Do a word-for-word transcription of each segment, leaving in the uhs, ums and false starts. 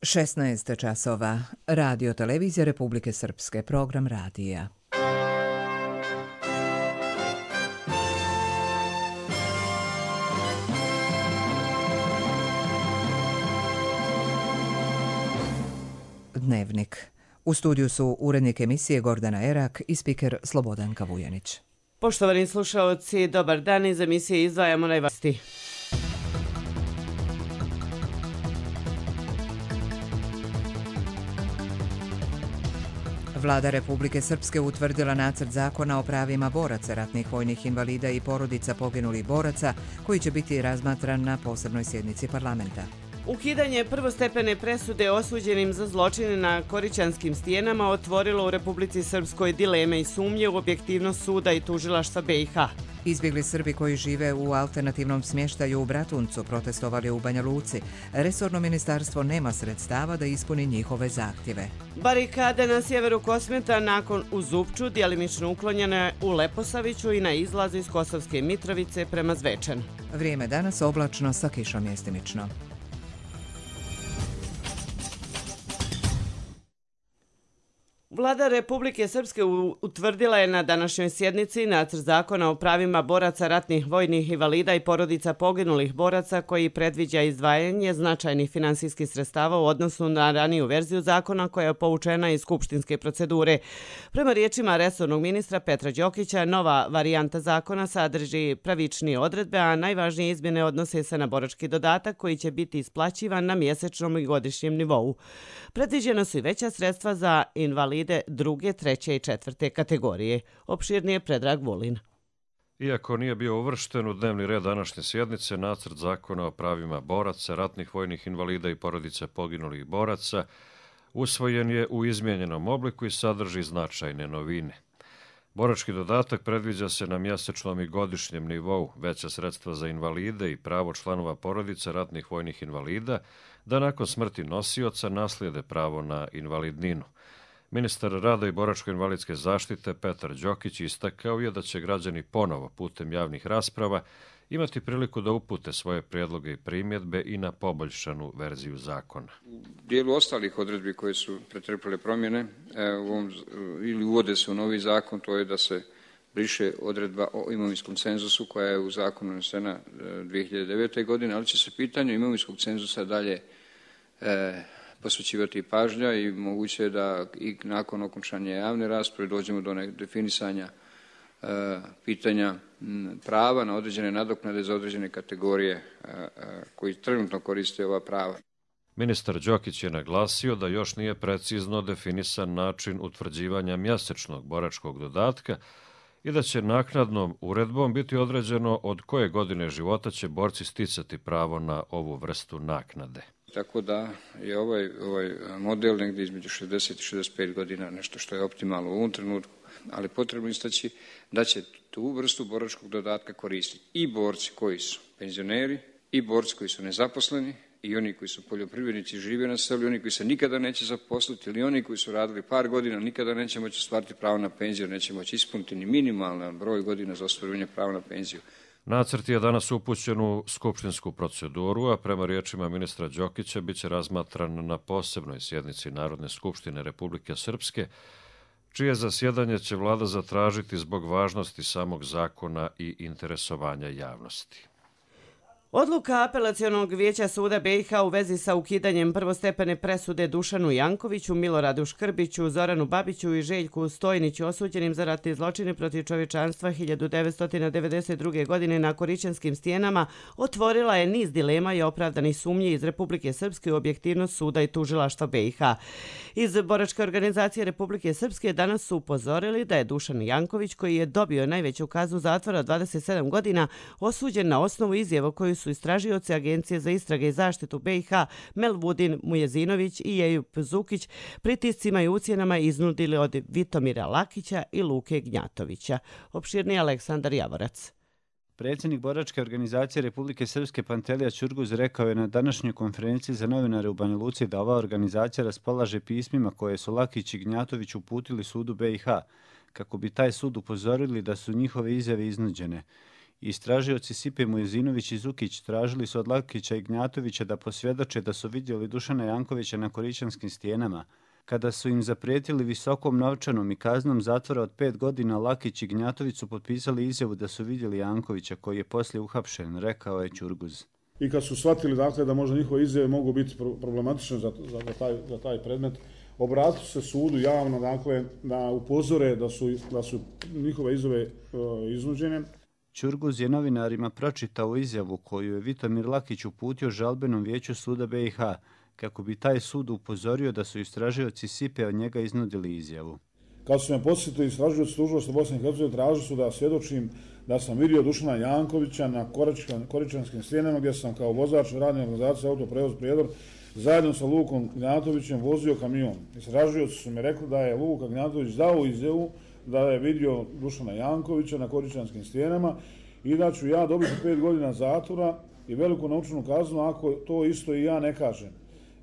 šesnaest časova. Radio Televizija Republike Srpske. Program radija. Dnevnik. U studiju su urednik emisije Gordana Erak i spiker Slobodanka Vujanić. Poštovani slušaoci, dobar dan. Iz emisije izdvajamo najvažnije. Vlada Republike Srpske utvrdila nacrt zakona o pravima boraca, ratnih vojnih invalida i porodica poginulih boraca, koji će biti razmatran na posebnoj sjednici parlamenta. Ukidanje prvostepene presude osuđenim za zločine na Korićanskim stijenama otvorilo u Republici Srpskoj dileme i sumnje u objektivnost suda i tužilaštva B i H. Izbjegli Srbi koji žive u alternativnom smještaju u Bratuncu protestovali u Banja Luci. Resorno ministarstvo nema sredstava da ispuni njihove zahtjeve. Barikade na sjeveru Kosmeta nakon u Zupču djelimično uklonjene u Leposaviću i na izlazu iz Kosovske Mitrovice prema Zvečanu. Vrijeme danas oblačno sa kišom mjestimično. Vlada Republike Srpske utvrdila je na današnjoj sjednici nacrt zakona o pravima boraca, ratnih vojnih invalida i porodica poginulih boraca koji predviđa izdvajanje značajnih finansijskih sredstava u odnosu na raniju verziju zakona koja je povučena iz skupštinske procedure. Prema riječima resornog ministra Petra Đokića, nova varijanta zakona sadrži pravičnije odredbe, a najvažnije izmjene odnose se na borački dodatak koji će biti isplaćivan na mjesečnom i godišnjem nivou. Predviđena su i veća sredstva za invalide druge, treće i četvrte kategorije. Opširnije Predrag Vulin. Iako nije bio uvršten u dnevni red današnje sjednice, nacrt zakona o pravima boraca, ratnih vojnih invalida i porodice poginulih boraca usvojen je u izmijenjenom obliku i sadrži značajne novine. Borački dodatak predviđa se na mjesečnom i godišnjem nivou, veća sredstva za invalide i pravo članova porodica ratnih vojnih invalida da nakon smrti nosioca naslijede pravo na invalidninu. Ministar rada i boračko-invalidske zaštite Petar Đokić istakao je da će građani ponovo putem javnih rasprava imati priliku da upute svoje prijedloge i primjedbe i na poboljšanu verziju zakona. U dijelu ostalih odredbi koje su pretrpile promjene u ovom, ili uvode se u novi zakon, to je da se briše odredba o imovinskom cenzusu koja je u zakonu unesena dvije hiljade devete. godine, ali će se pitanje imovinskog cenzusa dalje e, posvećivati pažnja i moguće je da i nakon okončanja javne rasprave dođemo do definisanja e, pitanja m, prava na određene nadoknade za određene kategorije e, e, koji trenutno koriste ova prava. Ministar Đokić je naglasio da još nije precizno definisan način utvrđivanja mjesečnog boračkog dodatka i da će naknadnom uredbom biti određeno od koje godine života će borci sticati pravo na ovu vrstu naknade. Tako da je ovaj, ovaj model negdje između šezdeset i šezdeset pet godina nešto što je optimalno u ovom trenutku, ali potrebno istaći da će tu vrstu boračkog dodatka koristiti i borci koji su penzioneri, i borci koji su nezaposleni, i oni koji su poljoprivrednici, žive na selu, i oni koji se nikada neće zaposliti, ili oni koji su radili par godina, nikada neće moći ostvariti pravo na penziju, neće moći ispuniti ni minimalan broj godina za ostvarivanje prava na penziju. Nacrt je danas upućen u skupštinsku proceduru, a prema riječima ministra Đokića biće razmatran na posebnoj sjednici Narodne skupštine Republike Srpske, čije zasjedanje će vlada zatražiti zbog važnosti samog zakona i interesovanja javnosti. Odluka Apelacionog vijeća suda B i H u vezi sa ukidanjem prvostepene presude Dušanu Jankoviću, Miloradu Škrbiću, Zoranu Babiću i Željku Stojniću osuđenim za ratne zločine protiv čovječanstva hiljadu devetsto devedeset druge. godine na Korićanskim stijenama otvorila je niz dilema i opravdanih sumnji iz Republike Srpske u objektivnost suda i tužilaštva B i H. Iz Boračke organizacije Republike Srpske danas su upozorili da je Dušan Janković, koji je dobio najveću kaznu zatvora od dvadeset sedam godina, osuđen na osnovu izjava koju su istražioci Agencije za istrage i zaštitu B i H Melvudin Mujezinović i Ejup Zukić pritiscima i ucjenama iznudili od Vitomira Lakića i Luke Gnjatovića. Opširni Aleksandar Javorac. Predsjednik Boračke organizacije Republike Srpske Pantelija Ćurguz rekao je na današnjoj konferenciji za novinare u Banja Luci da ova organizacija raspolaže pismima koje su Lakić i Gnjatović uputili sudu B i H kako bi taj sud upozorili da su njihove izjave iznuđene. Istražioci Sipe Mujezinović i Zukić tražili su od Lakića i Gnjatovića da posvjedoče da su vidjeli Dušana Jankovića na Koričanskim stijenama. Kada su im zaprijetili visokom novčanom i kaznom zatvora od pet godina, Lakić i Gnjatović su potpisali izjavu da su vidjeli Jankovića, koji je poslije uhapšen, rekao je Ćurguz. I kad su shvatili dakle, da možda njihove izjave mogu biti problematične za, za, za, taj, za taj predmet, obratili se sudu javno dakle, da upozore da su, da su njihove izjave e, iznuđene. Ćurguz je novinarima pročitao izjavu koju je Vitomir Lakić uputio žalbenom vijeću suda B i H, kako bi taj sud upozorio da su istražioci Sipe od njega iznudili izjavu. Kad su me posjetili istražioci tužilaštva Bosne i Hercegovine, tražili su da svjedočim da sam vidio Dušana Jankovića na Koričanskim stijenama, gdje sam kao vozač radne organizacije Autoprevoz Prijedor zajedno sa Lukom Gnjatovićem vozio kamion. Istražioci su mi rekli da je Luka Gnjatović dao izjavu da je vidio Dušana Jankovića na Koričanskim stijenama i da ću ja dobiti pet godina zatvora i veliku novčanu kaznu ako to isto i ja ne kažem.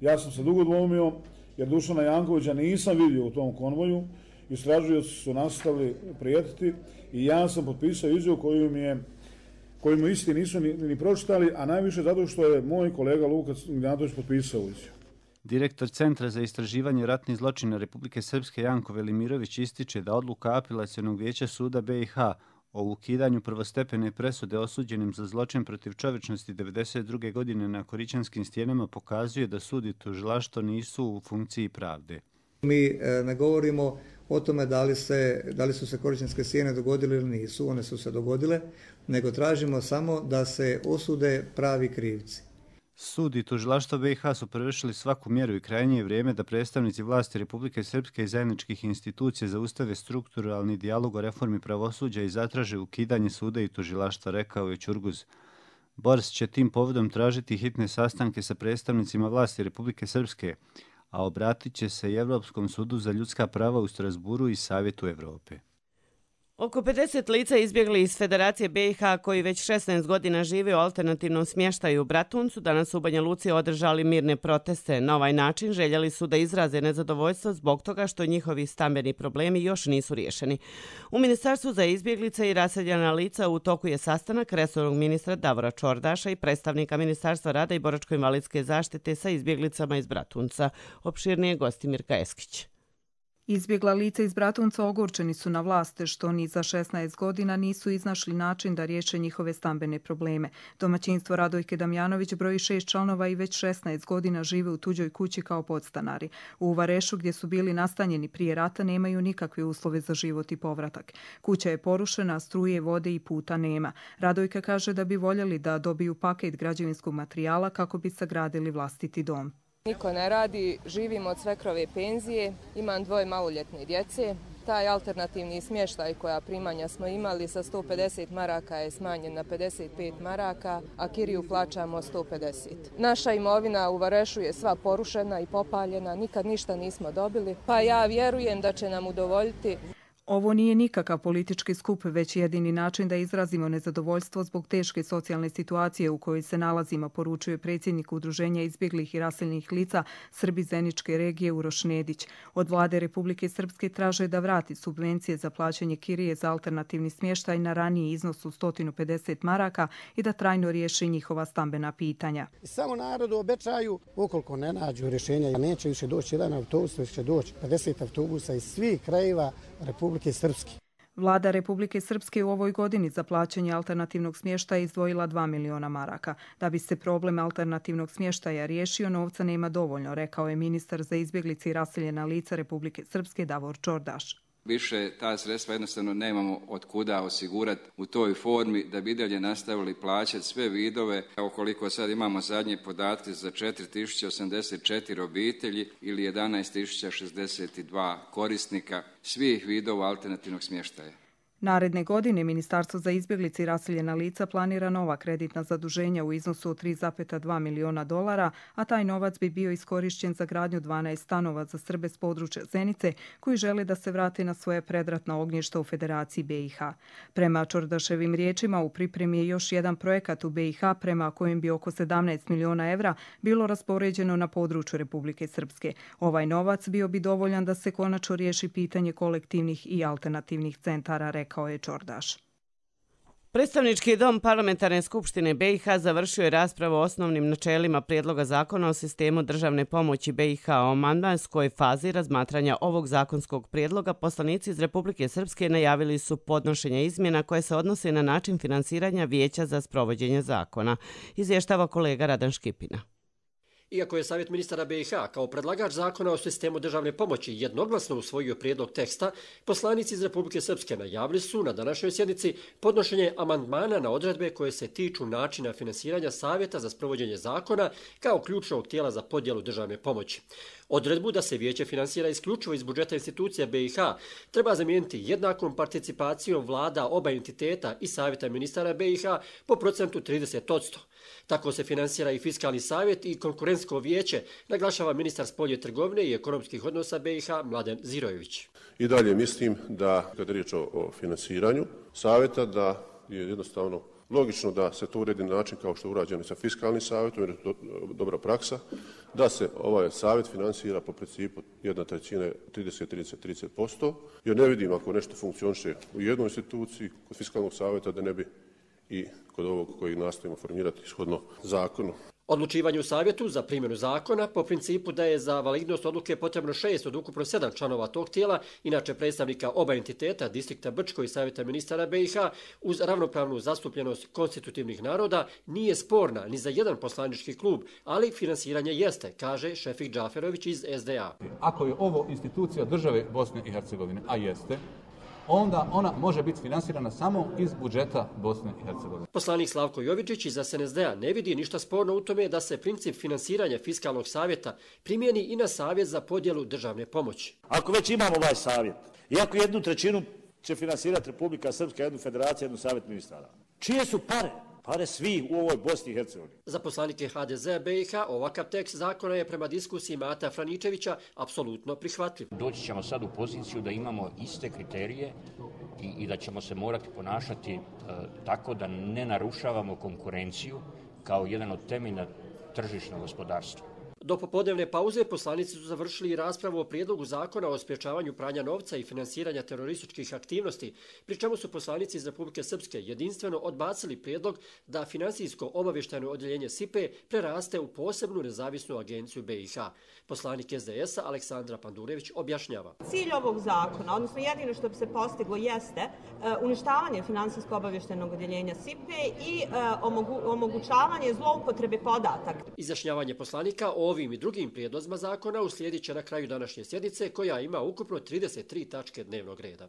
Ja sam se dugo dvomio jer Dušana Jankovića nisam vidio u tom konvoju. Istražujući su nastavili prijetiti i ja sam potpisao izjavu koju mi je koju mi isti nisu ni, ni pročitali, a najviše zato što je moj kolega Luka Gnjatović potpisao izjavu. Direktor Centra za istraživanje ratnih zločina Republike Srpske Janko Velimirović ističe da odluka Apelacionog vijeća suda B i H o ukidanju prvostepene presude osuđenim za zločin protiv čovječnosti devedeset druge godine na Koričanskim stijenama pokazuje da sud i tužilaštvo nisu u funkciji pravde. Mi ne govorimo o tome da li, se, da li su se Koričanske stijene dogodile ili nisu, one su se dogodile, nego tražimo samo da se osude pravi krivci. Sud i tužilaštvo B i H su prevršili svaku mjeru i krajnje je vrijeme da predstavnici vlasti Republike Srpske i zajedničkih institucija zaustave strukturalni dijalog o reformi pravosuđa i zatraže ukidanje suda i tužilaštva, rekao je Ćurguz. Bors će tim povodom tražiti hitne sastanke sa predstavnicima vlasti Republike Srpske, a obratit će se i Evropskom sudu za ljudska prava u Strasburu i Savjetu Evrope. Oko pedeset lica izbjegli iz Federacije B i H koji već šesnaest godina žive u alternativnom smještaju u Bratuncu, danas u Banja Luci održali mirne proteste. Na ovaj način željeli su da izraze nezadovoljstvo zbog toga što njihovi stambeni problemi još nisu riješeni. U Ministarstvu za izbjeglice i raseljena lica u toku je sastanak resornog ministra Davora Čordaša i predstavnika Ministarstva rada i boračko-invalidske zaštite sa izbjeglicama iz Bratunca. Opširnije gosti Mirka Eskić. Izbjegla lica iz Bratunca ogorčeni su na vlaste što ni za šesnaest godina nisu iznašli način da riješe njihove stambene probleme. Domaćinstvo Radojke Damjanović broji šest članova i već šesnaest godina žive u tuđoj kući kao podstanari. U Varešu, gdje su bili nastanjeni prije rata, nemaju nikakve uslove za život i povratak. Kuća je porušena, struje, vode i puta nema. Radojka kaže da bi voljeli da dobiju paket građevinskog materijala kako bi sagradili vlastiti dom. Niko ne radi, živimo od svekrove penzije, imam dvoje maloljetne djece. Taj alternativni smještaj koja primanja smo imali sa sto pedeset maraka je smanjen na pedeset pet maraka, a kiriju plaćamo sto pedeset. Naša imovina u Varešu je sva porušena i popaljena, nikad ništa nismo dobili, pa ja vjerujem da će nam udovoljiti. Ovo nije nikakav politički skup, već jedini način da izrazimo nezadovoljstvo zbog teške socijalne situacije u kojoj se nalazimo, poručuje predsjednik Udruženja izbjeglih i raseljenih lica Srbi Zeničke regije Uroš Nedić. Od vlade Republike Srpske traže da vrati subvencije za plaćanje kirije za alternativni smještaj na raniji iznos od sto pedeset maraka i da trajno riješi njihova stambena pitanja. Samo narodu obećaju, ukoliko ne nađu rješenja, neće više doći jedan autobus, već će doći pedeset autobusa iz svih krajeva Republike Srpske. Vlada Republike Srpske u ovoj godini za plaćanje alternativnog smještaja izdvojila dva miliona maraka. Da bi se problem alternativnog smještaja riješio, novca nema dovoljno, rekao je ministar za izbjeglice i raseljena lica Republike Srpske Davor Čordaš. Više ta sredstva jednostavno nemamo od kuda osigurati u toj formi da bi dalje nastavili plaćati sve vidove. Ukoliko sad imamo zadnje podatke za četiri tisuće osamdeset četiri obitelji ili jedanaest tisuća šezdeset dva korisnika svih vidova alternativnog smještaja. Naredne godine Ministarstvo za izbjeglice i raseljena lica planira nova kreditna zaduženja u iznosu od tri zarez dva miliona dolara, a taj novac bi bio iskorišćen za gradnju dvanaest stanova za Srbe s područja Zenice koji žele da se vrate na svoje predratna ognjišta u Federaciji B i H. Prema Čordaševim riječima, u pripremi je još jedan projekat u B i H prema kojem bi oko sedamnaest miliona evra bilo raspoređeno na području Republike Srpske. Ovaj novac bio bi dovoljan da se konačno riješi pitanje kolektivnih i alternativnih centara, rekao je Čordaš. Predstavnički dom Parlamentarne skupštine B i H završio je raspravu o osnovnim načelima prijedloga zakona o sistemu državne pomoći B i H. O amandmanskoj fazi razmatranja ovog zakonskog prijedloga poslanici iz Republike Srpske najavili su podnošenje izmjena koje se odnose na način finansiranja vijeća za sprovođenje zakona. Izvještava kolega Radan Škipina. Iako je Savjet ministara B i H kao predlagač zakona o sistemu državne pomoći jednoglasno usvojio prijedlog teksta, poslanici iz Republike Srpske najavili su na današnjoj sjednici podnošenje amandmana na odredbe koje se tiču načina finansiranja Savjeta za sprovođenje zakona kao ključnog tijela za podjelu državne pomoći. Odredbu da se vijeće finansira isključivo iz budžeta institucija B i H treba zamijeniti jednakom participacijom vlada oba entiteta i Savjeta ministara B i H po procentu trideset posto. Tako se finansira i Fiskalni savjet i Konkurentsko vijeće, naglašava ministar spoljne trgovine i ekonomskih odnosa B i H Mladen Zirojević. I dalje mislim da, kada je riječ o finansiranju savjeta, da je jednostavno logično da se to uredi na način kao što je urađeno sa Fiskalnim savjetom, jer je to dobra praksa, da se ovaj savjet finansira po principu jedna trećina trideset trideset trideset posto, jer ne vidim ako nešto funkcioniše u jednoj instituciji kod Fiskalnog savjeta da ne bi i kod ovog koji nastojimo formirati ishodno zakonu. Odlučivanje u savjetu za primjenu zakona po principu da je za validnost odluke potrebno šest od ukupno sedam članova tog tijela, inače predstavnika oba entiteta, distrikta Brčko i Savjeta ministara B i H, uz ravnopravnu zastupljenost konstitutivnih naroda, nije sporna ni za jedan poslanički klub, ali finansiranje jeste, kaže Šefik Džaferović iz S D A. Ako je ovo institucija države Bosne i Hercegovine, a jeste, onda ona može biti finansirana samo iz budžeta Bosne i Hercegovine. Poslanik Slavko Jovičić iz S N S D-a ne vidi ništa sporno u tome da se princip finansiranja Fiskalnog savjeta primjeni i na savjet za podjelu državne pomoći. Ako već imamo ovaj savjet, iako jednu trećinu će finansirati Republika Srpska, jednu federaciju, jednu savjet ministara, čije su pare? Pare svi u ovoj Bosni i Hercegovini. Za poslanike H D Z B i H ovakav tekst zakona je prema diskusiji Mata Franičevića apsolutno prihvatljiv. Doći ćemo sad u poziciju da imamo iste kriterije i, i da ćemo se morati ponašati e, tako da ne narušavamo konkurenciju kao jedan od temelja tržišnog gospodarstva. Do popodnevne pauze poslanici su završili i raspravu o prijedlogu zakona o sprječavanju pranja novca i finansiranja terorističkih aktivnosti, pri čemu su poslanici iz Republike Srpske jedinstveno odbacili prijedlog da finansijsko-obavještajno odjeljenje S I P E preraste u posebnu nezavisnu agenciju B i H. Poslanik S D S-a Aleksandra Pandurević objašnjava. Cilj ovog zakona, odnosno jedino što bi se postiglo, jeste uh, uništavanje finansijsko-obavještajnog odjeljenja S I P E i uh, omogu, omogućavanje zloupotrebe podataka. Izjašnjavanje poslanika o ovim i drugim prijedlozima zakona uslijedit će na kraju današnje sjednice, koja ima ukupno trideset tri tačke dnevnog reda.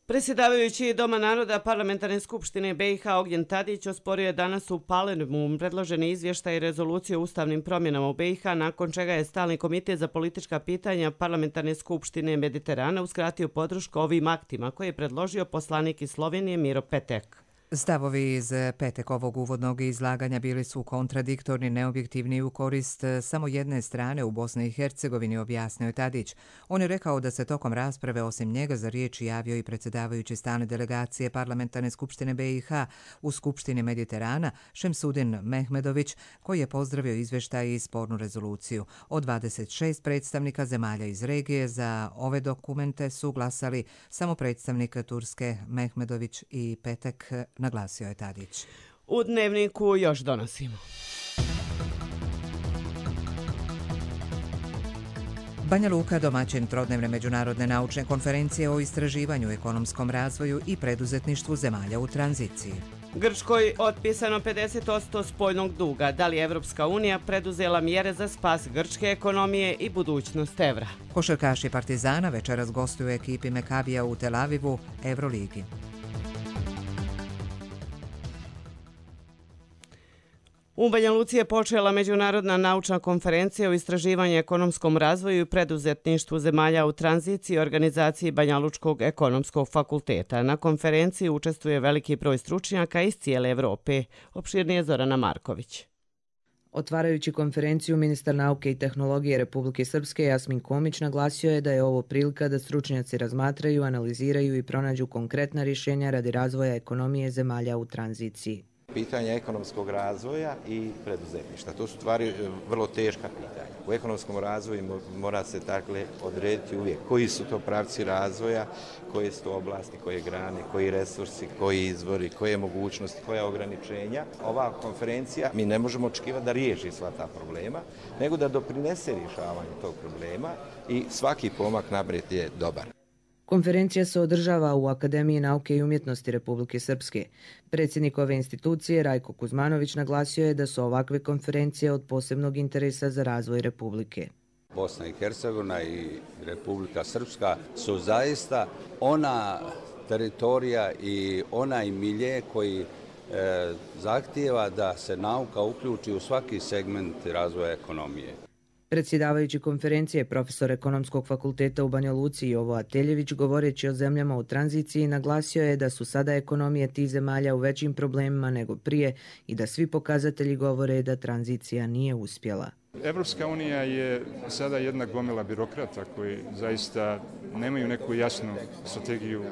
Predsjedavajući Doma naroda Parlamentarne skupštine B i H Ognjen Tadić osporio je danas u Palermu predloženi izvještaj i rezoluciju o ustavnim promjenama u B i H, nakon čega je Stalni komitet za politička pitanja Parlamentarne skupštine Mediterana uskratio podršku ovim aktima koje je predložio poslanik iz Slovenije Miro Petek. Stavovi iz Petekovog uvodnog izlaganja bili su kontradiktorni, neobjektivni u korist samo jedne strane u Bosni i Hercegovini, objasnio je Tadić. On je rekao da se tokom rasprave osim njega za riječ javio i predsjedavajući stalne delegacije Parlamentarne skupštine B i H u Skupštini Mediterana Šemsudin Mehmedović, koji je pozdravio izvještaj i spornu rezoluciju. Od dvadeset šest predstavnika zemalja iz regije za ove dokumente su glasali samo predstavnik Turske Mehmedović i Petek, naglasio je Tadić. U Dnevniku još donosimo. Banja Luka, domaćin trodnevne međunarodne naučne konferencije o istraživanju, ekonomskom razvoju i preduzetništvu zemalja u tranziciji. Grčkoj otpisano pedeset posto spoljnog duga. Da li je Evropska unija preduzela mjere za spas grčke ekonomije i budućnost evra? Košarkaši Partizana večeras gostuju ekipi Mekabija u Tel Avivu, Euroligi. U Banja Luci je počela međunarodna naučna konferencija o istraživanju, ekonomskom razvoju i preduzetništvu zemalja u tranziciji organizaciji Banja Lučkog ekonomskog fakulteta. Na konferenciji učestvuje veliki broj stručnjaka iz cijele Evrope. Opširnije Zorana Marković. Otvarajući konferenciju, ministar nauke i tehnologije Republike Srpske Jasmin Komić naglasio je da je ovo prilika da stručnjaci razmatraju, analiziraju i pronađu konkretna rješenja radi razvoja ekonomije zemalja u tranziciji. Pitanje ekonomskog razvoja i preduzetništva. To su stvari vrlo teška pitanja. U ekonomskom razvoju mora se dakle odrediti uvijek koji su to pravci razvoja, koje su to oblasti, koje grane, koji resursi, koji izvori, koje mogućnosti, koja ograničenja. Ova konferencija, mi ne možemo očekivati da riješi sva ta problema, nego da doprinese rješavanju tog problema i svaki pomak naprijed je dobar. Konferencija se održava u Akademiji nauke i umjetnosti Republike Srpske. Predsjednik ove institucije, Rajko Kuzmanović, naglasio je da su ovakve konferencije od posebnog interesa za razvoj Republike. Bosna i Hercegovina i Republika Srpska su zaista ona teritorija i onaj milje koji e, zahtijeva da se nauka uključi u svaki segment razvoja ekonomije. Predsjedavajući konferencije, profesor Ekonomskog fakulteta u Banja Luci Jovo Ateljević, govoreći o zemljama u tranziciji, naglasio je da su sada ekonomije tih zemalja u većim problemima nego prije i da svi pokazatelji govore da tranzicija nije uspjela. Evropska unija je sada jedna gomila birokrata koji zaista nemaju neku jasnu strategiju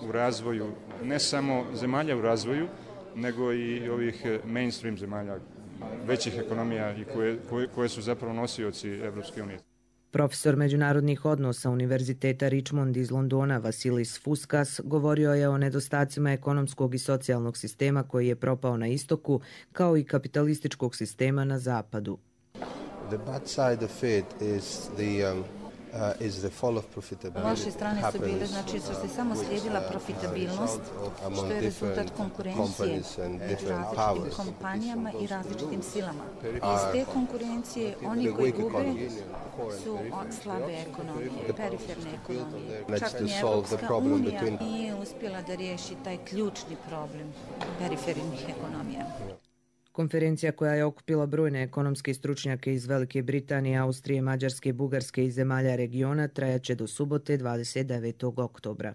u razvoju, ne samo zemalja u razvoju, nego i ovih mainstream zemalja, većih ekonomija i koje, koje, koje su zapravo nosioci Evropske unije. Profesor međunarodnih odnosa Univerziteta Richmond iz Londona Vasilis Fuskas govorio je o nedostacima ekonomskog i socijalnog sistema koji je propao na istoku, kao i kapitalističkog sistema na zapadu. The bad side of it is the um... Loše strane su bile, znači što se samo slijedila profitabilnost, što je rezultat konkurencije među različitim kompanijama i različitim silama. Iz te konkurencije oni koji gube su slabe ekonomije, periferne ekonomije. Čak ni Evropska unija nije uspjela da riješi taj ključni problem perifernih ekonomija. Konferencija koja je okupila brojne ekonomske stručnjake iz Velike Britanije, Austrije, Mađarske, Bugarske i zemalja regiona trajaće do subote dvadeset devetog oktobra.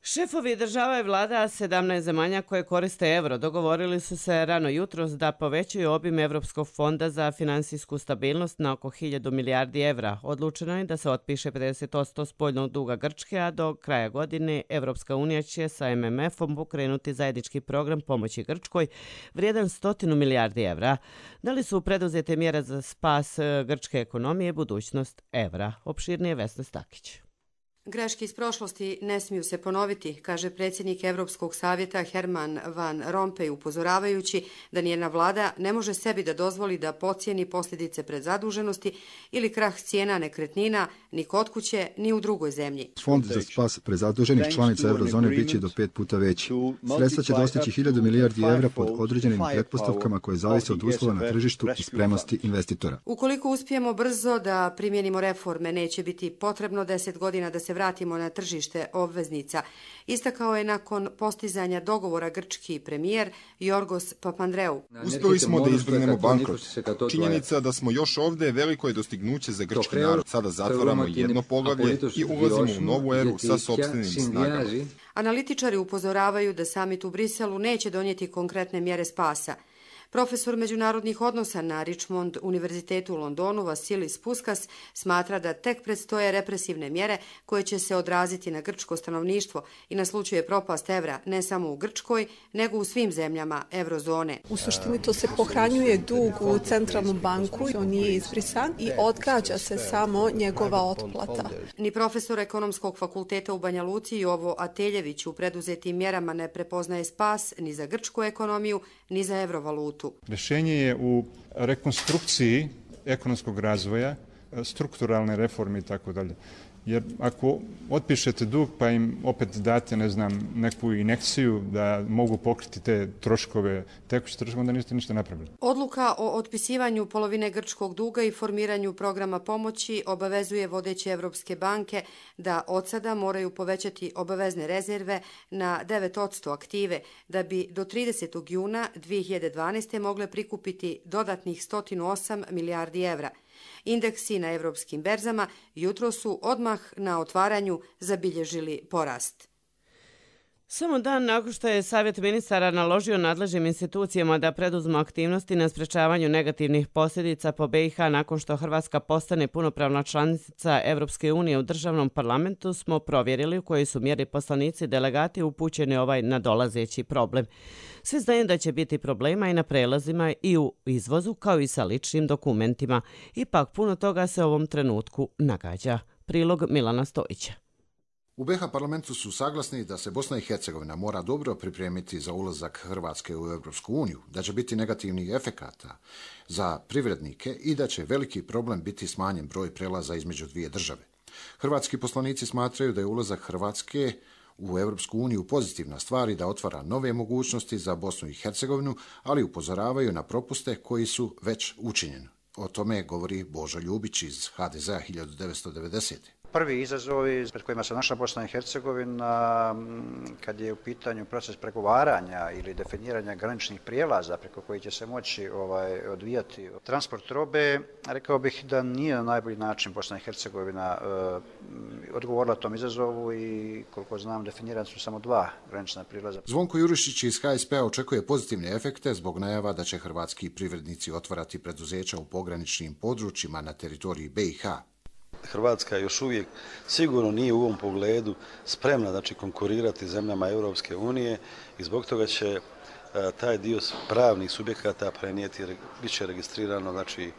Šefovi država i vlada sedamnaest zemalja koje koriste euro dogovorili su se rano jutros da povećaju obim Evropskog fonda za finansijsku stabilnost na oko hiljadu milijardi evra. Odlučeno je da se otpiše pedeset posto spoljnog duga Grčke, a do kraja godine Evropska unija će sa M M F-om pokrenuti zajednički program pomoći Grčkoj vrijedan stotinu milijardi evra. Da li su preduzete mjere za spas grčke ekonomije budućnost evra? Opširnije Vesna Stakić. Greške iz prošlosti ne smiju se ponoviti, kaže predsjednik Evropskog savjeta Herman Van Rompuy, upozoravajući da nijedna vlada ne može sebi da dozvoli da pocijeni posljedice predzaduženosti ili krah cijena nekretnina ni kod kuće ni u drugoj zemlji. Fond za spas prezaduženih članica eurozone biće do pet puta veći. Sredstva će dostići hiljadu milijardi evra pod određenim pretpostavkama koje zavise od uslova na tržištu i spremnosti investitora. Ukoliko uspijemo brzo da primjenimo reforme, neće biti potrebno deset godina da se vratimo na tržište obveznica, istakao je nakon postizanja dogovora grčki premijer Jorgos Papandreou. Uspjeli smo da izbjegnemo bankrot. Činjenica da smo još ovdje veliko je dostignuće za grčki narod. Sada zatvaramo jedno poglavlje i ulazimo u novu eru sa sopstvenim snagama. Analitičari upozoravaju da samit u Briselu neće donijeti konkretne mjere spasa. Profesor međunarodnih odnosa na Richmond univerzitetu u Londonu Vasilis Fuskas smatra da tek predstoje represivne mjere koje će se odraziti na grčko stanovništvo i na slučaju propast evra ne samo u Grčkoj, nego u svim zemljama eurozone. U suštini to se pohranjuje dug u centralnu banku, on nije izbrisan i odgađa se samo njegova otplata. Ni profesor Ekonomskog fakulteta u Banja Luci Jovo Ateljević u preduzetim mjerama ne prepoznaje spas ni za grčku ekonomiju, ni za evrovalutu. Rješenje je u rekonstrukciji ekonomskog razvoja, strukturalne reforme i tako dalje. Jer ako otpišete dug pa im opet date, ne znam, neku injekciju da mogu pokriti te troškove, tekuće troškove, onda niste ništa napravili. Odluka o otpisivanju polovine grčkog duga i formiranju programa pomoći obavezuje vodeće evropske banke da od sada moraju povećati obavezne rezerve na devet posto aktive, da bi do tridesetog juna dvije hiljade dvanaeste. mogle prikupiti dodatnih sto osam milijardi evra. Indeksi na evropskim berzama jutro su odmah na otvaranju zabilježili porast. Samo dan nakon što je Savjet ministara naložio nadležnim institucijama da preduzmu aktivnosti na sprečavanju negativnih posljedica po B i H nakon što Hrvatska postane punopravna članica Evropske unije u državnom parlamentu, smo provjerili u kojoj su mjeri poslanici delegati upućeni ovaj nadolazeći problem. Svi znaju da će biti problema i na prelazima i u izvozu kao i sa ličnim dokumentima. Ipak puno toga se u ovom trenutku nagađa. Prilog Milana Stojića. U B i H parlamentu su saglasni da se Bosna i Hercegovina mora dobro pripremiti za ulazak Hrvatske u Europsku uniju, da će biti negativnih efekata za privrednike i da će veliki problem biti smanjen broj prelaza između dvije države. Hrvatski poslanici smatraju da je ulazak Hrvatske u Europsku uniju pozitivna stvar i da otvara nove mogućnosti za Bosnu i Hercegovinu, ali upozoravaju na propuste koji su već učinjeni. O tome govori Božo Ljubić iz H D Z-a hiljadu devetsto devedesete. Prvi izazovi pred kojima se našla Bosna i Hercegovina kad je u pitanju proces pregovaranja ili definiranja graničnih prijelaza preko kojih će se moći ovaj, odvijati transport robe, rekao bih da nije na najbolji način Bosna i Hercegovina uh, odgovorila tom izazovu i koliko znam definirani su samo dva granična prijelaza. Zvonko Jurišić iz H S P-a očekuje pozitivne efekte zbog najava da će hrvatski privrednici otvarati preduzeća u pograničnim područjima na teritoriji B i H. Hrvatska još uvijek sigurno nije u ovom pogledu spremna znači, konkurirati zemljama Europske unije i zbog toga će a, taj dio pravnih subjekata prenijeti, bit će registrirano znači,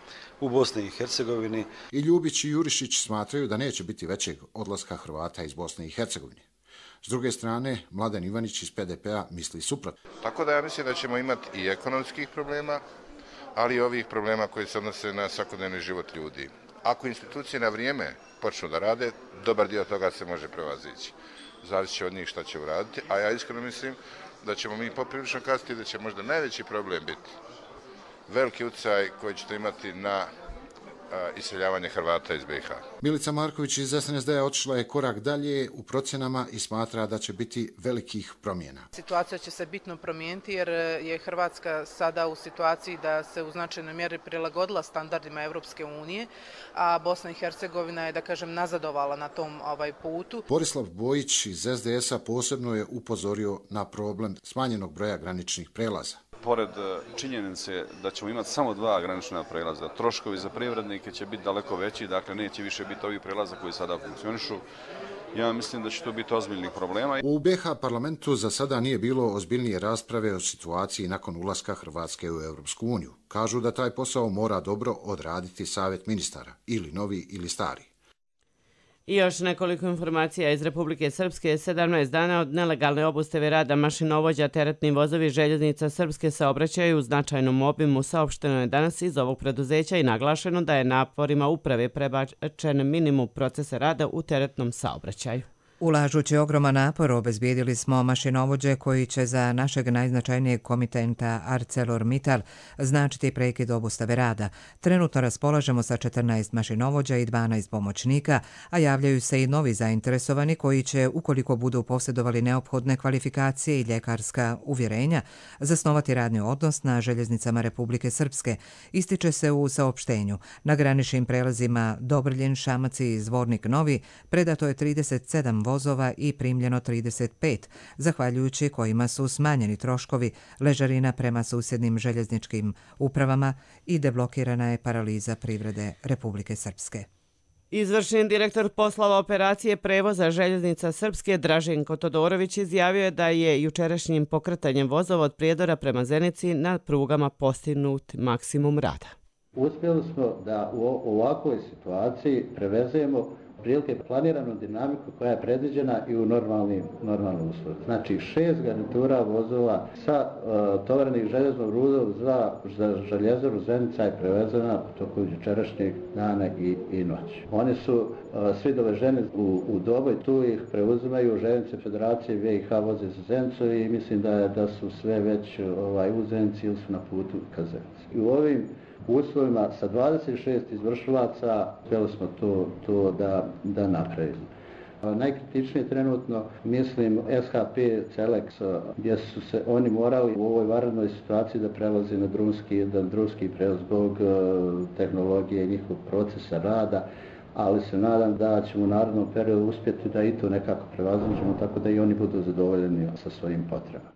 u Bosni i Hercegovini. I Ljubić i Jurišić smatraju da neće biti većeg odlaska Hrvata iz Bosne i Hercegovine. S druge strane, Mladen Ivanić iz P D P-a misli suprotno. Tako da ja mislim da ćemo imati i ekonomskih problema, ali i ovih problema koji se odnose na svakodnevni život ljudi. Ako institucije na vrijeme počnu da rade, dobar dio toga se može prevazići. Zavisi će od njih šta će uraditi, a ja iskreno mislim da ćemo mi poprilično kasniti da će možda najveći problem biti veliki utjecaj koji ćete imati na iseljavanje Hrvata iz B i H. Milica Marković iz S N S D-a otišla je korak dalje u procjenama i smatra da će biti velikih promjena. Situacija će se bitno promijeniti jer je Hrvatska sada u situaciji da se u značajnoj mjeri prilagodila standardima Europske unije, a Bosna i Hercegovina je, da kažem, nazadovala na tom ovaj putu. Borislav Bojić iz S D S-a posebno je upozorio na problem smanjenog broja graničnih prelaza. Pored činjenice da ćemo imati samo dva granična prelaza, troškovi za privrednike će biti daleko veći, dakle neće više biti ovih prelaza koji sada funkcionišu. Ja mislim da će to biti ozbiljnih problema. U B i H parlamentu za sada nije bilo ozbiljnije rasprave o situaciji nakon ulaska Hrvatske u Europsku uniju. Kažu da taj posao mora dobro odraditi Savjet ministara, ili novi ili stari. I još nekoliko informacija iz Republike Srpske. sedamnaest dana od nelegalne obustave rada mašinovođa teretni vozovi željeznica Srpske saobraćaju u značajnom obimu. Saopšteno je danas iz ovog preduzeća i naglašeno da je naporima uprave prebačen minimum procesa rada u teretnom saobraćaju. Ulažući ogroman napor, obezbijedili smo mašinovođe koji će za našeg najznačajnijeg komitenta ArcelorMittal značiti prekid obustave rada. Trenutno raspolažemo sa četrnaest mašinovođa i dvanaest pomoćnika, a javljaju se i novi zainteresovani koji će, ukoliko budu posjedovali neophodne kvalifikacije i ljekarska uvjerenja, zasnovati radni odnos na željeznicama Republike Srpske. Ističe se u saopštenju. Na graničnim prelazima Dobrljin, Šamac i Zvornik Novi predato je trideset sedam vozova i primljeno trideset pet, zahvaljujući kojima su smanjeni troškovi ležarina prema susjednim željezničkim upravama i deblokirana je paraliza privrede Republike Srpske. Izvršni direktor poslova operacije prevoza željeznica Srpske Draženko Todorović izjavio je da je jučerašnjim pokretanjem vozova od Prijedora prema Zenici na prugama postignut maksimum rada. Uspjeli smo da u ovakvoj situaciji prevezemo prilike planiranu dinamiku koja je predviđena i u normalnim, normalnim uslovima. Znači šest garnitura vozova sa uh, tovarenih željeznog rudom za, za željezaru Zenica je prevezena u toku jučerašnjeg dana i, i noći. Oni su uh, svi doveženi u, u Doboj, tu ih preuzimaju željeznice Federacije B i H voze za Zenicu i mislim da, da su sve već ovaj, u Zenici ili su na putu ka Zenici. I u ovim u uslovima sa dvadeset šest izvršilaca htjeli smo to, to da, da napravimo. Najkritičnije trenutno, mislim, S H P Celex, gdje su se oni morali u ovoj vanrednoj situaciji da prelazi na drumski, da drumski prevoz zbog tehnologije i njihovog procesa rada. ali se nadam da ćemo u narednom periodu uspjeti da i to nekako prevaziđemo, tako da i oni budu zadovoljeni sa svojim potrebama.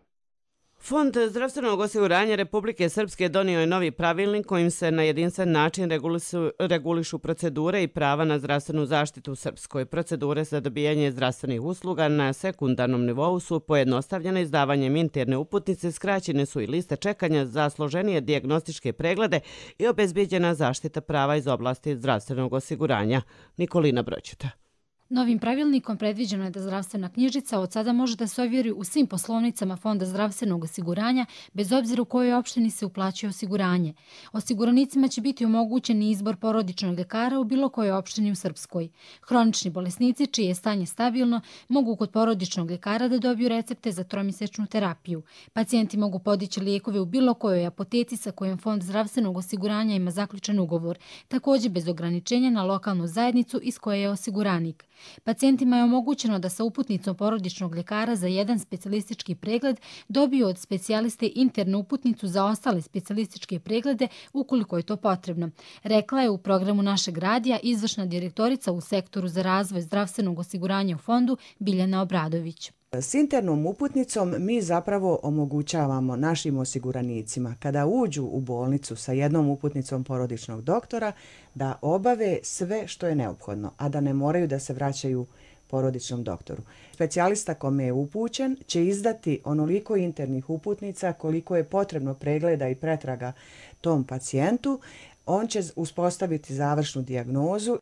Fond zdravstvenog osiguranja Republike Srpske donio je novi pravilnik kojim se na jedinstven način regulišu, regulišu procedure i prava na zdravstvenu zaštitu u Srpskoj. Procedure za dobijanje zdravstvenih usluga na sekundarnom nivou su pojednostavljene izdavanjem interne uputnice, skraćene su i liste čekanja za složenije dijagnostičke preglede i obezbijeđena zaštita prava iz oblasti zdravstvenog osiguranja. Nikolina Broćuta. Novim pravilnikom predviđeno je da zdravstvena knjižica od sada može da se ovjeri u svim poslovnicama Fonda zdravstvenog osiguranja, bez obzira u kojoj opštini se uplaćuje osiguranje. Osiguranicima će biti omogućen izbor porodičnog ljekara u bilo kojoj opštini u Srpskoj. Hronični bolesnici, čije je stanje stabilno, mogu kod porodičnog ljekara da dobiju recepte za tromjesečnu terapiju. Pacijenti mogu podići lijekove u bilo kojoj apoteci sa kojom Fond zdravstvenog osiguranja ima zaključen ugovor, također bez ograničenja na lokalnu zajednicu iz koje je osiguranik. Pacijentima je omogućeno da sa uputnicom porodičnog ljekara za jedan specijalistički pregled dobiju od specijaliste internu uputnicu za ostale specijalističke preglede ukoliko je to potrebno. Rekla je u programu našeg radija izvršna direktorica u sektoru za razvoj zdravstvenog osiguranja u fondu Biljana Obradović. S internom uputnicom mi zapravo omogućavamo našim osiguranicima kada uđu u bolnicu sa jednom uputnicom porodičnog doktora da obave sve što je neophodno, a da ne moraju da se vraćaju porodičnom doktoru. Specijalista kome je upućen će izdati onoliko internih uputnica koliko je potrebno pregleda i pretraga tom pacijentu. On će uspostaviti završnu dijagnozu.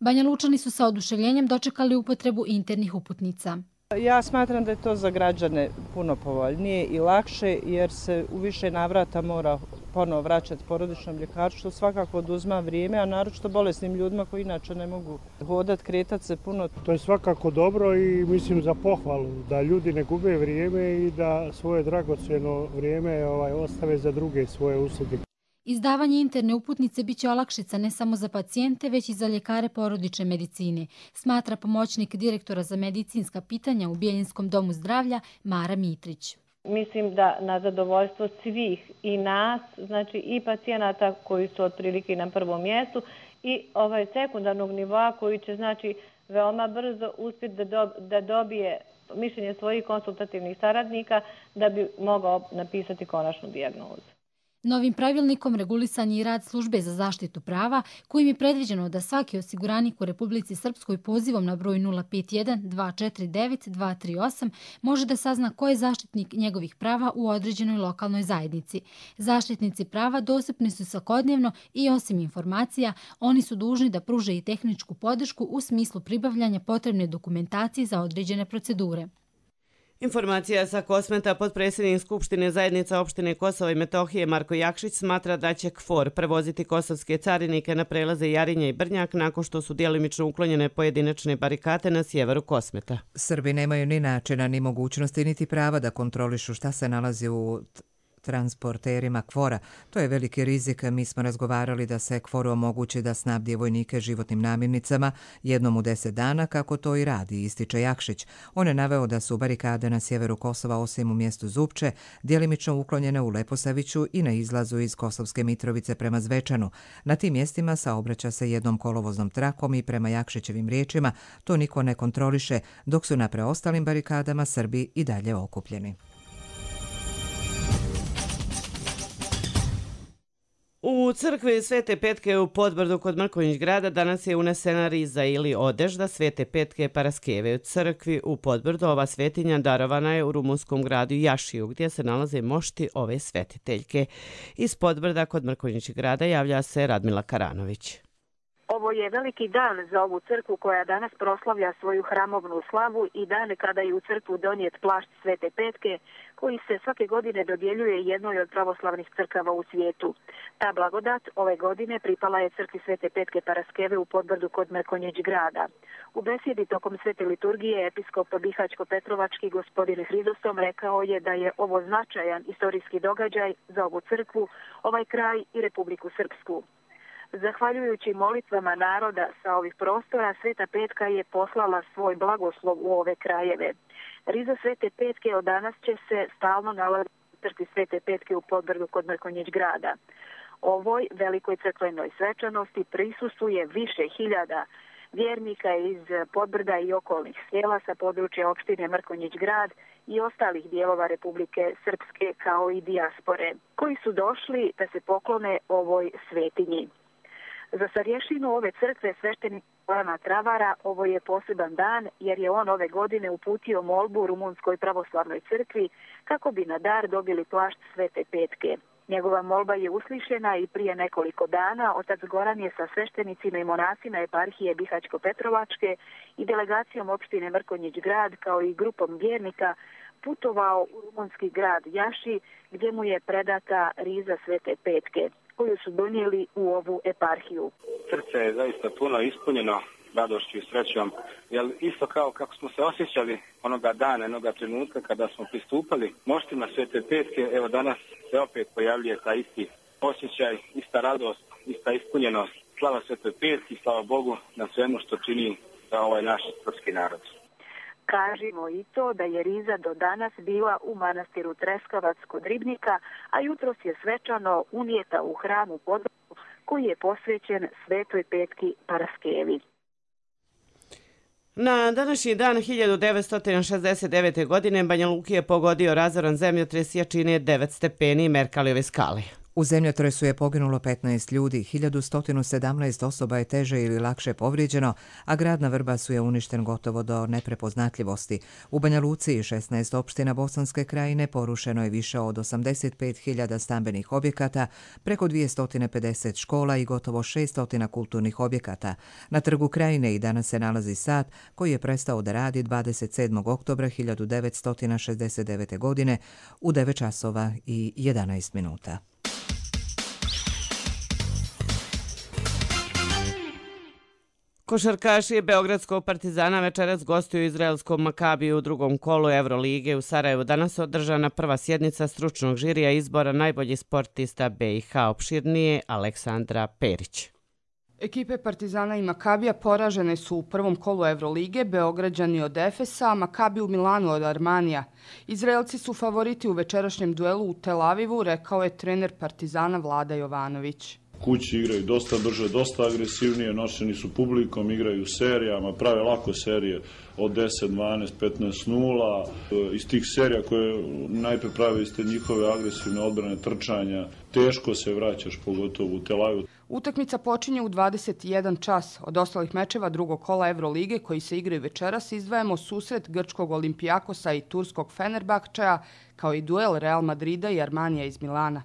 Banja Lučani su sa oduševljenjem dočekali upotrebu internih uputnica. Ja smatram da je to za građane puno povoljnije i lakše jer se u više navrata mora ponovo vraćati porodičnom ljekaru, što svakako oduzma vrijeme, a naročito bolesnim ljudima koji inače ne mogu hodati, kretati se puno. To je svakako dobro i mislim za pohvalu da ljudi ne gube vrijeme i da svoje dragocjeno vrijeme ovaj, ostave za druge svoje usluge. Izdavanje interne uputnice biće olakšica ne samo za pacijente, već i za ljekare porodične medicine, smatra pomoćnik direktora za medicinska pitanja u Bijeljinskom domu zdravlja Mara Mitrić. Mislim da na zadovoljstvo svih i nas, znači i pacijenata koji su otprilike na prvom mjestu i ovaj sekundarnog nivoa koji će znači veoma brzo uspjeti da, do, da dobije mišljenje svojih konsultativnih saradnika da bi mogao napisati konačnu dijagnozu. Novim pravilnikom regulisan je i rad službe za zaštitu prava, kojim je predviđeno da svaki osiguranik u Republici Srpskoj pozivom na broj nula pet jedan dva četiri devet dva tri osam može da sazna ko je zaštitnik njegovih prava u određenoj lokalnoj zajednici. Zaštitnici prava dostupni su svakodnevno i osim informacija, oni su dužni da pruže i tehničku podršku u smislu pribavljanja potrebne dokumentacije za određene procedure. Informacija sa Kosmeta, potpredsjednik Skupštine zajednica opštine Kosova i Metohije Marko Jakšić smatra da će KFOR prevoziti kosovske carinike na prelaze Jarinje i Brnjak nakon što su djelimično uklonjene pojedinačne barikate na sjeveru Kosmeta. Srbi nemaju ni načina, ni mogućnosti, niti prava da kontrolišu šta se nalazi u transporterima KFOR-a. To je veliki rizik. Mi smo razgovarali da se KFOR-u omogući da snabdije vojnike životnim namirnicama jednom u deset dana, kako to i radi, ističe Jakšić. On je naveo da su barikade na sjeveru Kosova, osim u mjestu Zupče, djelimično uklonjene u Leposaviću i na izlazu iz Kosovske Mitrovice prema Zvečanu. Na tim mjestima saobraća se jednom kolovoznom trakom i prema Jakšićevim riječima to niko ne kontroliše, dok su na preostalim barikadama Srbi i dalje okupljeni. U crkvi Svete Petke u Podbrdu kod Mrkonjić grada danas je unesena riza ili odežda Svete Petke Paraskeve. U crkvi u Podbrdu ova svetinja darovana je u rumunskom gradu Jašiju, gdje se nalaze mošti ove svetiteljke. Iz Podbrda kod Mrkonjić grada javlja se Radmila Karanović. Ovo je veliki dan za ovu crkvu koja danas proslavlja svoju hramovnu slavu i dan kada je u crkvu donijet plašt Svete Petke koji se svake godine dodjeljuje jednoj od pravoslavnih crkava u svijetu. Ta blagodat ove godine pripala je crkvi Svete Petke Paraskeve u Podbrdu kod Mrkonjić grada. U besjedi tokom svete liturgije episkop Bihaćko-Petrovački gospodin Hridosom rekao je da je ovo značajan istorijski događaj za ovu crkvu, ovaj kraj i Republiku Srpsku. Zahvaljujući molitvama naroda sa ovih prostora, Sveta Petka je poslala svoj blagoslov u ove krajeve. Riza Svete Petke od danas će se stalno nalaziti u crkvi Svete Petke u Podbrdu kod Mrkonjić grada. Ovoj velikoj crkvenoj svečanosti prisustuje više hiljada vjernika iz Podbrda i okolnih sela sa područja opštine Mrkonjić Grad i ostalih dijelova Republike Srpske kao i dijaspore, koji su došli da se poklone ovoj svetinji. Za starješinu ove crkve sveštenika Milana Travara ovo je poseban dan jer je on ove godine uputio molbu Rumunskoj pravoslavnoj crkvi kako bi na dar dobili plašt Svete Petke. Njegova molba je uslišena i prije nekoliko dana otac Goran je sa sveštenicima i monasima eparhije Bihać-Petrovačke i delegacijom opštine Mrkonjić Grad kao i grupom vjernika putovao u rumunski grad Jaši gdje mu je predata riza Svete Petke koju su donijeli u ovu eparhiju. Srce je zaista puno ispunjeno radošću i srećom, jer isto kao kako smo se osjećali onoga dana, onoga trenutka kada smo pristupali moštima Svete Petke, evo danas se opet pojavljuje ta isti osjećaj, ista radost, ista ispunjenost. Slava Svetoj Petki, slava Bogu na svemu što čini za ovaj naš srpski narod. Kažimo i to da je riza do danas bila u manastiru Treskavac kod Ribnika, a jutros je svečano unijeta u hram u Podbrdu koji je posvećen Svetoj Petki Paraskevi. Na današnji dan hiljadu devetsto šezdeset devete. godine Banja Luku je pogodio razoran zemljotres jačine devet stepeni Merkalijeve skale. U zemljotresu je poginulo petnaest ljudi, hiljadu sto sedamnaest osoba je teže ili lakše povrijeđeno, a grad na Vrbasu je uništen gotovo do neprepoznatljivosti. U Banja Luci i šesnaest opština Bosanske krajine porušeno je više od osamdeset pet hiljada stambenih objekata, preko dvjesto pedeset škola i gotovo šesto kulturnih objekata. Na trgu krajine i danas se nalazi sat koji je prestao da radi dvadeset sedmog oktobra hiljadu devetsto šezdeset devete. godine u devet časova i jedanaest minuta. Košarkaši Beogradskog Partizana večeras gostuju izraelskom Makabiju u drugom kolu Evrolige. U Sarajevu danas održana prva sjednica stručnog žirija izbora najboljih sportista B i H. Opširnije Aleksandra Perić. Ekipe Partizana i Makabija poražene su u prvom kolu Evrolige, Beograđani od Efesa, a Makabi u Milanu od Armanija. Izraelci su favoriti u večerašnjem duelu u Tel Avivu, rekao je trener Partizana Vlada Jovanović. Kući igraju dosta brže, dosta agresivnije, nošeni su publikom, igraju serijama, prave lako serije od deset, dvanaest, petnaest nula. Iz tih serija koje najpre prave iz te njihove agresivne odbrane trčanja, teško se vraćaš, pogotovo u Tel Avivu. Utakmica počinje u dvadeset jedan čas. Od ostalih mečeva drugog kola Evrolige koji se igraju večeras izdvajamo susret grčkog Olimpijakosa i turskog Fenerbahčeja, kao i duel Real Madrida i Armanija iz Milana.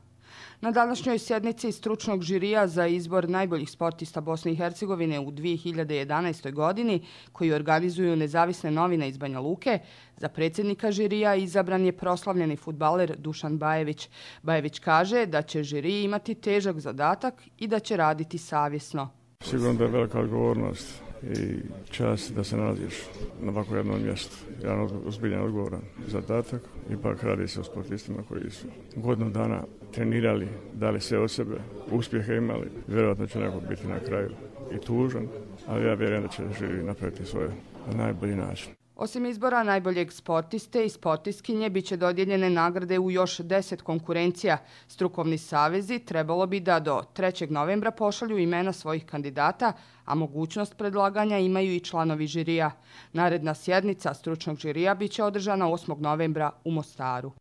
Na današnjoj sjednici stručnog žirija za izbor najboljih sportista Bosne i Hercegovine u dvije hiljade jedanaestoj. godini, koji organizuju nezavisne novine iz Banja Luke, za predsjednika žirija izabran je proslavljeni fudbaler Dušan Bajević. Bajević kaže da će žirij imati težak zadatak i da će raditi savjesno. Sigurno da je velika odgovornost i čast da se nalaziš na ovako jednom mjestu. Jedan ozbiljan odgovoran zadatak. Ipak radi se o sportistima koji su godinu dana trenirali, dali sve od sebe, uspjehe imali. Vjerojatno će neko biti na kraju i tužan, ali ja vjerujem da će žiri napraviti svoje na najbolji način. Osim izbora najboljeg sportiste i sportistkinje bit će dodijeljene nagrade u još deset konkurencija. Strukovni savezi trebalo bi da do trećeg novembra pošalju imena svojih kandidata, a mogućnost predlaganja imaju i članovi žirija. Naredna sjednica stručnog žirija bit će održana osmog novembra u Mostaru.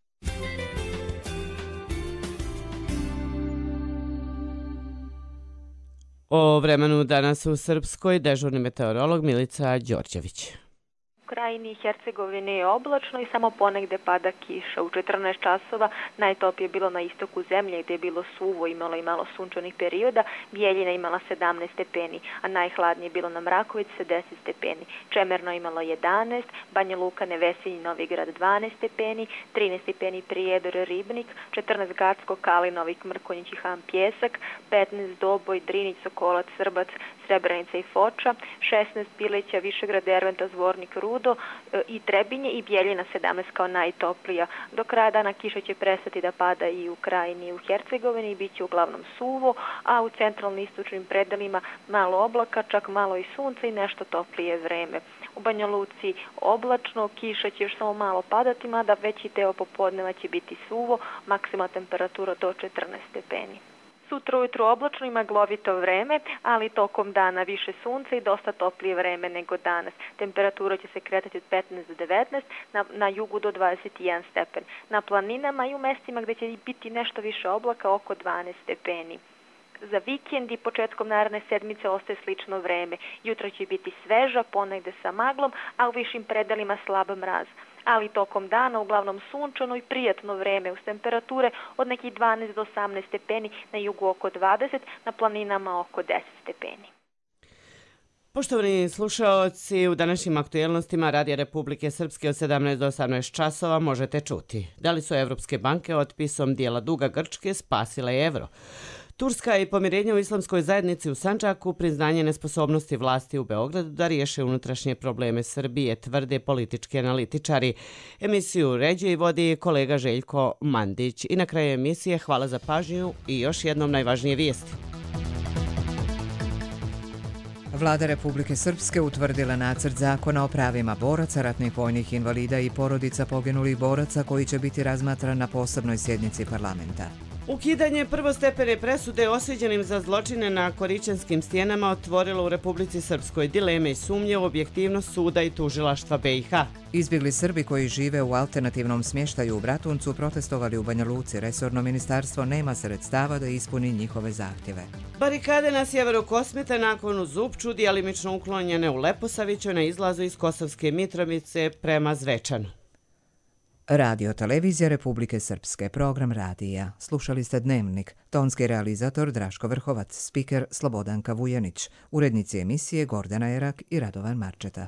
O vremenu danas u Srpskoj dežurni meteorolog Milica Đorđević. U krajini Hercegovine je oblačno i samo ponegde pada kiša. U četrnaest časova najtoplije je bilo na istoku zemlje gdje je bilo suvo, imalo i malo sunčanih perioda. Bijeljina imala sedamnaest stepeni, a najhladnije je bilo na Mrakovici sa deset stepeni. Čemerno imalo jedanaest, Banja Luka, Nevesinj, Novigrad dvanaest stepeni, trinaest stepeni Prijedor, Ribnik, četrnaest Gacko, Kali, Novik, Mrkonjić i Han Pjesak, petnaest Doboj, Drinić, Sokolac, Srbac, Srebrenica i Foča, šesnaest Bileća, Višegrad, Derventa, Zvornik, Rudo i Trebinje i Bijeljina sedamnaest kao najtoplija. Do kraja dana kiša će prestati da pada i u krajini i u Hercegovini i bit će uglavnom suvo, a u centralno istočnim predelima malo oblaka, čak malo i sunca i nešto toplije vreme. U Banja Luci oblačno, kiša će još samo malo padati, mada veći deo popodneva će biti suvo, maksimalna temperatura do četrnaest stepeni. Sutra ujutru oblačno i maglovito vreme, ali tokom dana više sunca i dosta toplije vreme nego danas. Temperatura će se kretati od petnaest do devetnaest, na, na jugu do dvadeset jedan stepen. Na planinama i u mestima gde će biti nešto više oblaka oko dvanaest stepeni. Za vikend i početkom naredne sedmice ostaje slično vreme. Jutro će biti sveža, ponegde sa maglom, a u višim predelima slab mraz. Ali tokom dana uglavnom sunčano i prijatno vreme uz temperature od nekih dvanaest do osamnaest stepeni, na jugu oko dvadeset, na planinama oko deset stepeni. Poštovani slušaoci, u današnjim aktuelnostima Radija Republike Srpske od sedamnaest do osamnaest časova možete čuti. Da li su evropske banke otpisom dijela duga Grčke spasile evro? Turska i pomirenje u islamskoj zajednici u Sandžaku, priznanje nesposobnosti vlasti u Beogradu da riješe unutrašnje probleme Srbije, tvrde politički analitičari. Emisiju uređuje i vodi kolega Željko Mandić. I na kraju emisije hvala za pažnju i još jednom najvažnije vijesti. Vlada Republike Srpske utvrdila nacrt zakona o pravima boraca, ratnih vojnih invalida i porodica poginulih boraca koji će biti razmatran na posebnoj sjednici parlamenta. Ukidanje prvostepene presude osuđenim za zločine na Koričanskim stijenama otvorilo u Republici Srpskoj dileme i sumnje u objektivnost suda i tužilaštva B i H. Izbjegli Srbi koji žive u alternativnom smještaju u Bratuncu protestovali u Banja Luci. Resorno ministarstvo nema sredstava da ispuni njihove zahtjeve. Barikade na sjeveru Kosmeta nakon u Zupču djelimično uklonjene u Leposaviću na izlazu iz Kosovske Mitrovice prema Zvečanu. Radio Televizija Republike Srpske, program radija. Slušali ste Dnevnik, tonski realizator Draško Vrhovac, spiker Slobodanka Vujanić, urednici emisije Gordana Erak i Radovan Marčeta.